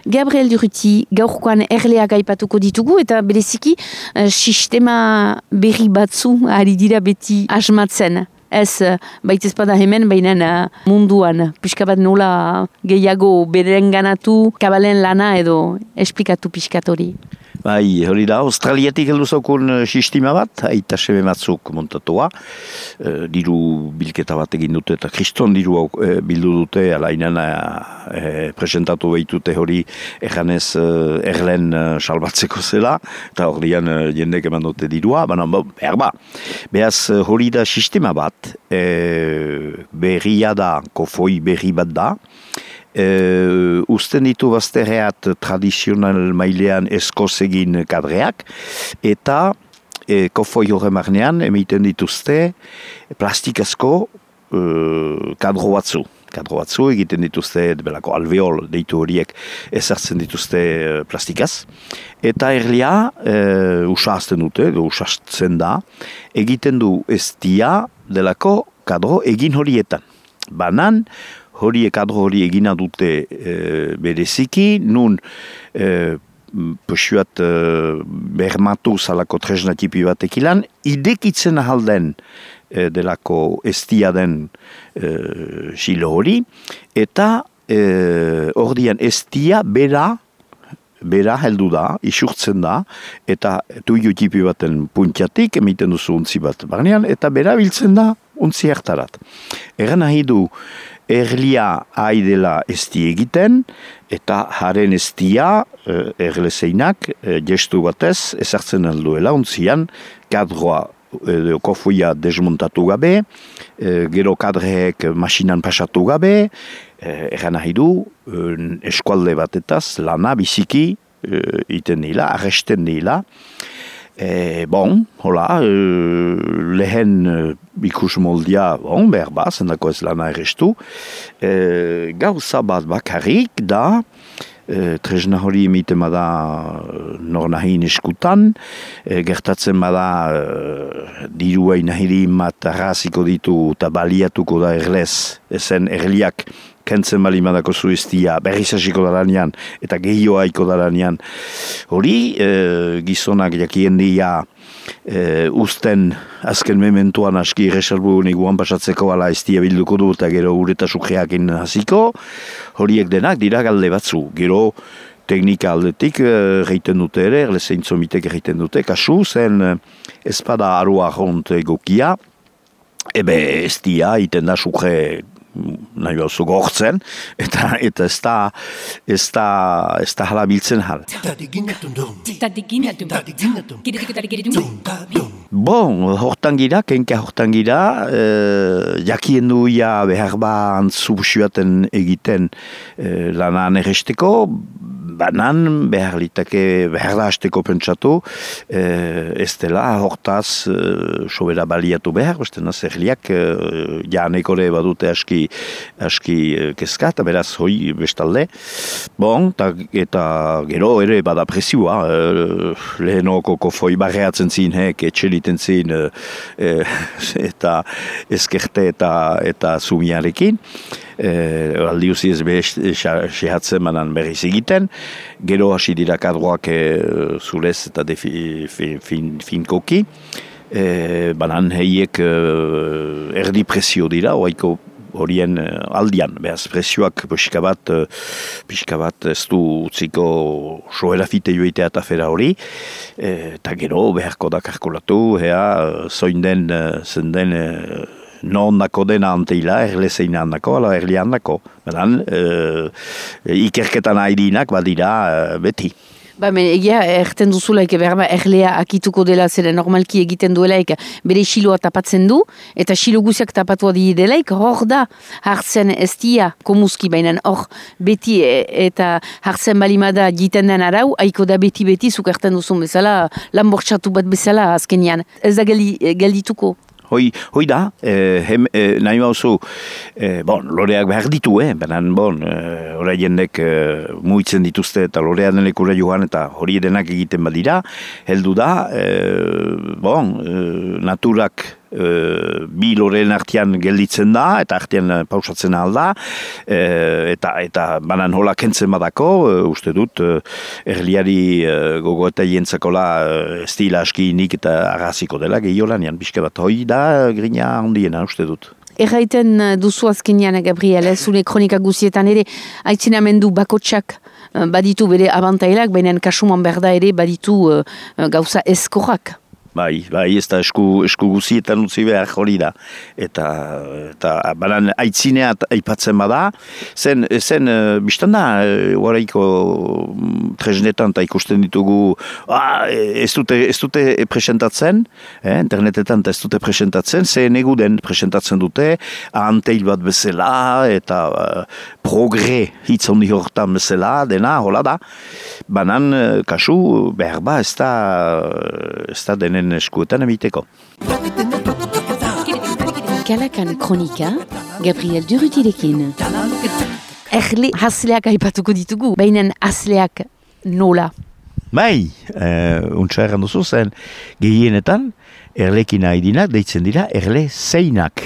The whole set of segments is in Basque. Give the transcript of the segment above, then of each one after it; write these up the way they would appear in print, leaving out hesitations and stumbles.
Gabriel Durruti, gaurkoan erleak aipatuko ditugu eta bereziki sistema berri batzu ari dira beti asmatzen. Ez baitezpada hemen, baina munduan, pixka bat nola gehiago berenganatu, kabalen lana edo esplikatu pixkat hori. Bai, hori da, Australiatik heldu zaukun sistema bat, aita seme batzuk montatua, diru bilketa bat egin dute eta kriston diru bildu dute, alainan presentatu behitute hori erganez erlen salbatzeko zela, eta horian jendek eman dute dirua, baina behar ba. Behaz hori da sistema bat, berria da, kofoi berri bat da, usten ditu bazterreat tradizional mailean eskoz egin kadreak eta kofoi horre marnean emiten dituzte plastikazko kadro batzu egiten dituzte belako alveol deitu horiek ezartzen dituzte plastikaz eta erlia usazten dute, usazten da egiten du estia delako kadro egin horietan banan kadro hori egina dute bereziki, nun posuat bermatu zalako tresna tipi batek ilan, idekitzen ahalden delako estia den silo hori, eta ordian estia bera heldu da, isurtzen da, eta tuiu tipi baten puntiatik, emiten duzu untzi bat barnean, eta bera biltzen da untzi hartarat. Egan nahi du, erlia haidela esti egiten, eta haren estia erlezeinak gestu batez ezartzen alduela, untzian kadroa kofoia desmontatu gabe, gero kadreek masinan pasatu gabe, egan nahi du eskualde batetaz lana biziki iten nila, arresten nila. Lehen ikus moldia, behar ba, zendako ez lana errestu. Gauza bat bakarrik da, tresna hori emiten bada nor nahin eskutan, gertatzen bada dirua inahiri mat arraziko ditu eta baliatuko da erlez, ezen erliak kentzen bali madako zuiztia, berrizasiko daranean, eta gehioaiko daranean. Hori, gizonak jakien dia usten azken mementuan aski reserbu niguan pasatzeko ala estia bilduko du, eta gero ureta sukreakin hasiko, horiek denak dira galde batzu. Gero teknika aldetik geiten dute ere, erlezein zomitek geiten dute, kasu zen espada arua jont egokia, estia iten da sukre nahi bauzu gortzen, eta ez da hala biltzen hal. Hortan gira, kenka hortan gira, jakien duia behar ba antzubusuaten egiten lanan erresteko, banan behar da hasteko pentsatu, ez dela hortaz sobera baliatu behar, bestena zerliak janekore badute aski kezka, eta beraz hoi bestalde. Eta gero ere bada presioa, lehenoko kofoi barreatzen zin, etxeliten zin, eta ezkerte eta zumiarekin. Aldiuzi ez sehatzen manan berriz egiten, gero hasi dira kadroak zurez eta finkoki, banan heiek erdi presio dira, oaiko horien aldian, behaz presioak pixka bat ez du utziko soerafite joitea eta fera hori, eta gero beharko da kalkulatu, zenden non dako dena anteila, erlezeina handako, ala erlia handako. Badan, ikerketan haidinak badira beti. Egia, erten duzulaik behar erlea akituko dela zela normalki egiten duelaik bere xiloa tapatzen du, eta xilo guziak tapatua di delaik, hor da hartzen estia komuski bainan, hor beti eta hartzen balimada jiten den arau, haiko da beti zuk erten duzun bezala, lanbortxatu bat bezala azkenian. Ez da geldituko. Hoi da, nahi bauzu, loreak behar ditu, banan, hori jendek muitzen dituzte eta lorea denekura joan eta hori denak egiten badira, heldu da, naturak bi loreen artean gelditzen da, eta artean pausatzen alda, eta banan hola kentzen badako, uste dut, erliari gogo eta jentzakola estila askinik eta arraziko dela, gehiola, nian pixka bat hoi da, grina handiena, uste dut. Erraiten duzu azkenean, Gabriel, zure kronika guzietan ere, aitzinamendu bakotsak baditu bere abantailak, baina kasuman berda ere baditu gauza eskorrak. Bai, ez da esku guzietan utzi behar hori da. Eta banan aitzinea aipatzen bada, zen biztan da, guaraiko tresnetan eta ikusten ditugu, ez dute presentatzen, internetetan ez dute presentatzen, zen eguden presentatzen dute, anteil bat bezala, eta progre hitz handi hortan bezala, dena, hola da. Banan, kasu, behar ba, ez da denen eskuetan emiteko. Kalakan kronika, Gabriel Durrutirekin. Erle hasleak aipatuko ditugu, baina hasleak nola? Bai, untsa erran duzu zen, gehienetan, erlekin haidinak deitzen dira erle zeinak.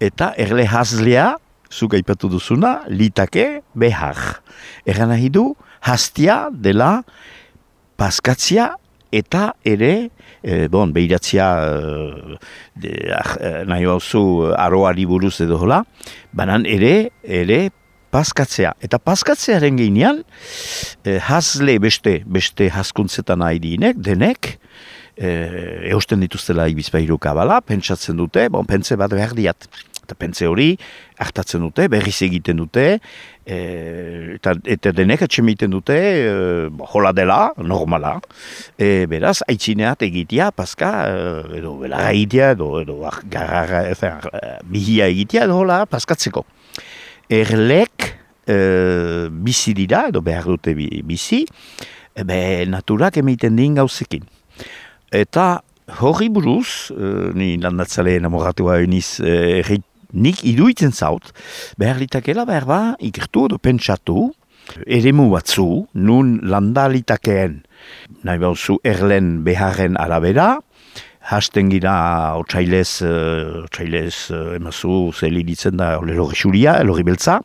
Eta erle haslea, zuk aipatu duzuna, litake behar. Erran nahi du, hastia dela paskatzia eta ere, behiratzia nahi hauzu aroari buruz edo hola, banan ere paskatzea. Eta paskatzearen geinean, hasle beste haskuntzetan haidinek, denek, eusten dituztela ibizpairu kabala, pentsatzen dute, pentse bat behar diat. Eta pentsa hori, hartatzen dute, berriz egiten dute, eta denek atxemiten dute, hola dela, normala. Beraz, aitzineat egitea, paska, edo belara egitea, edo garrara, bihia egitea, edo hola, paskatzeko. Erlek bizi dira, edo behar dute bizi, naturak emaiten din gauzekin. Eta hori buruz, ni landatzaleen amoratua eniz nik iduitzen zaut, behar litakela behar ba, ikertu edo pentsatu, eremu batzu, nun landa litakeen, nahi bauzu erlen beharren arabera, hasten gira otsailez emazu zeli ditzen da elorri xuria, elorri beltza,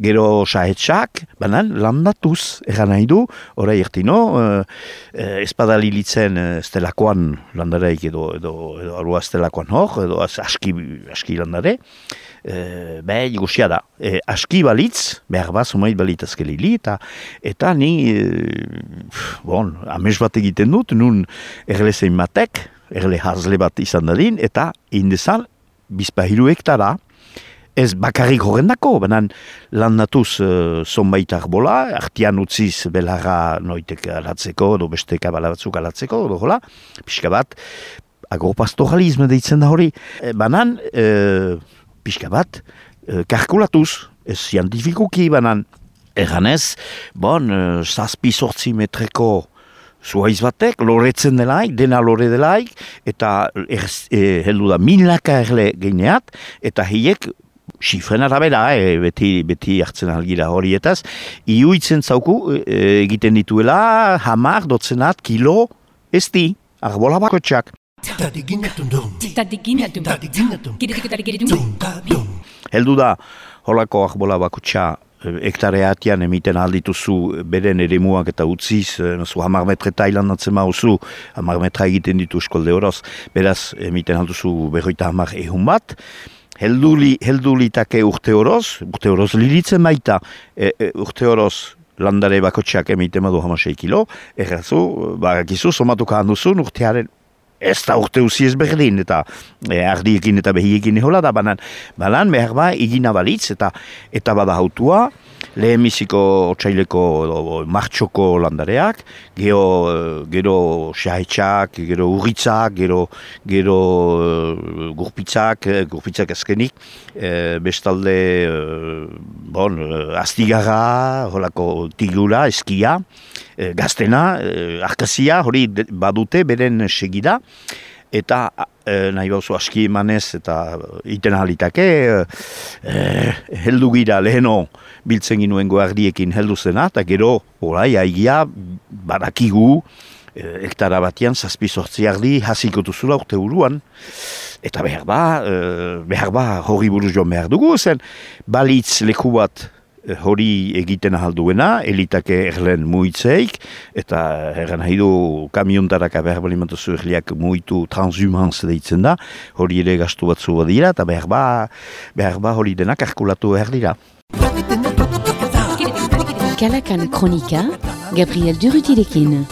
gero sahetxak, banan landatuz, eran nahi du, orai ertino, espadali litzen estelakoan landareik edo arua estelakoan hor, edo aski landare, igusia da. Aski balitz, behar bat, zumait balitazke lili, eta ni, amez bat egiten dut, nun erlezein batek, erle hazle bat izan dadin, eta indezan, bizpahiru hektara, ez bakarrik horrendako, banan landatuz zonbait arbola, artian utziz belarra noitek alatzeko, edo beste kabala batzuk alatzeko, edo hola, pixka bat, agropastoralisme deitzen da hori, banan, pixka bat, kalkulatuz, ez zientifikuki, banan, erganez, zazpi-sortzi metreko zuhaiz batek, loretzen delaik, dena lore delaik, eta heldu da milaka erle geineat, eta hiek, xifren arabera, beti hartzen algira horietaz, iuitzen zauku egiten dituela, hamar, dotzenat, kilo, esti, arbola bakotxak. Heldu da, holako arbola bakotxa, hektareatian emiten aldituzu beren eremuak eta utziz, hamar metre Tailan atzen mauzu, hamar metra egiten ditu eskolde horoz, beraz emiten alduzu berroita hamar ehun bat, heldu litake urte horoz lilitzen baita, urte horoz landare bakotxeak emiten madu 6 kilo, errazu, barakizu, somatuka handuzun urtearen, ez da urte uzi ez berdin, eta ardiekin eta behiekin ehola da, banan behar ba, egina balitz, eta bada hautua, lehenbiziko otsaileko martxoko landareak, gero xahetxak, gero urritzak, gero gurpitzak azkenik, bestalde, astigarra, holako tigura, eskia, gaztena, arkazia, hori badute beren segida, eta nahi bauzu aski emanez eta iten ahalitake, heldu gira leheno biltzen ginuen goardiekin heldu zena, eta gero, haigia, badakigu, hektara batian 7-8 ardi hasiko duzula urte buruan. Eta behar ba, hori buruz joan behar dugu, zen balitz leku bat hori egiten ahalduena, elitake erlen muitzeik, eta erran nahi du kamiontaraka behar balimatuzu erliak muitu transhumans deitzen da, hori ere gastu batzu badira, eta behar ba hori denak arkulatu behar dira. Kalakan Kronika, Gabriel Durrutirekin.